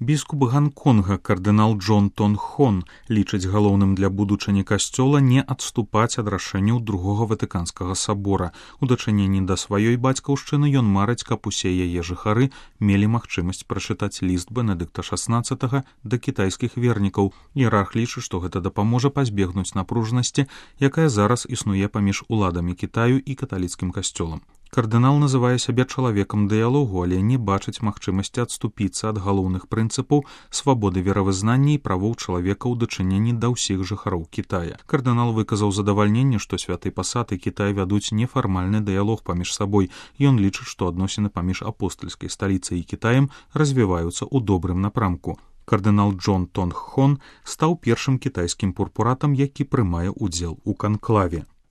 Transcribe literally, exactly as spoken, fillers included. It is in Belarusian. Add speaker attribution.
Speaker 1: Біскуп Ганконга кардынал Джон Тон Хон лічыць галоўным для будучыні касцёла не адступаць ад рашэнняў другога ватыканскага сабора. У дачыненні да сваёй бацькаўшчыны ён марыць, каб усе яе жыхары мелі магчымасць прачытаць ліст Бенедыкта шаснаццатага да кітайскіх вернікаў. Іерарх лічыць, што гэта дапаможа пазбегнуць напружанасці, якая зараз існуе паміж уладамі Кітаю і каталіцкім касцёлам. Кардынал называе сябе чалавекам дыялогу, але не бачыць магчымасці адступіцца ад галоўных прынцыпаў свабоды веравызнання і правоў чалавека ў дачыненні да ўсіх жыхароў Кітая. Кардынал выказаў задавальненне, што святы пасад і Кітай вядуць нефармальны дыялог паміж сабой. Ён лічыць, што адносіны паміж апостальскай сталіцай і Кітаем развіваюцца ў добрым напрамку. Кардынал Джон Тон Хон стаў першым кітайскім пурпуратам, які прымае ўдзел у канклаве.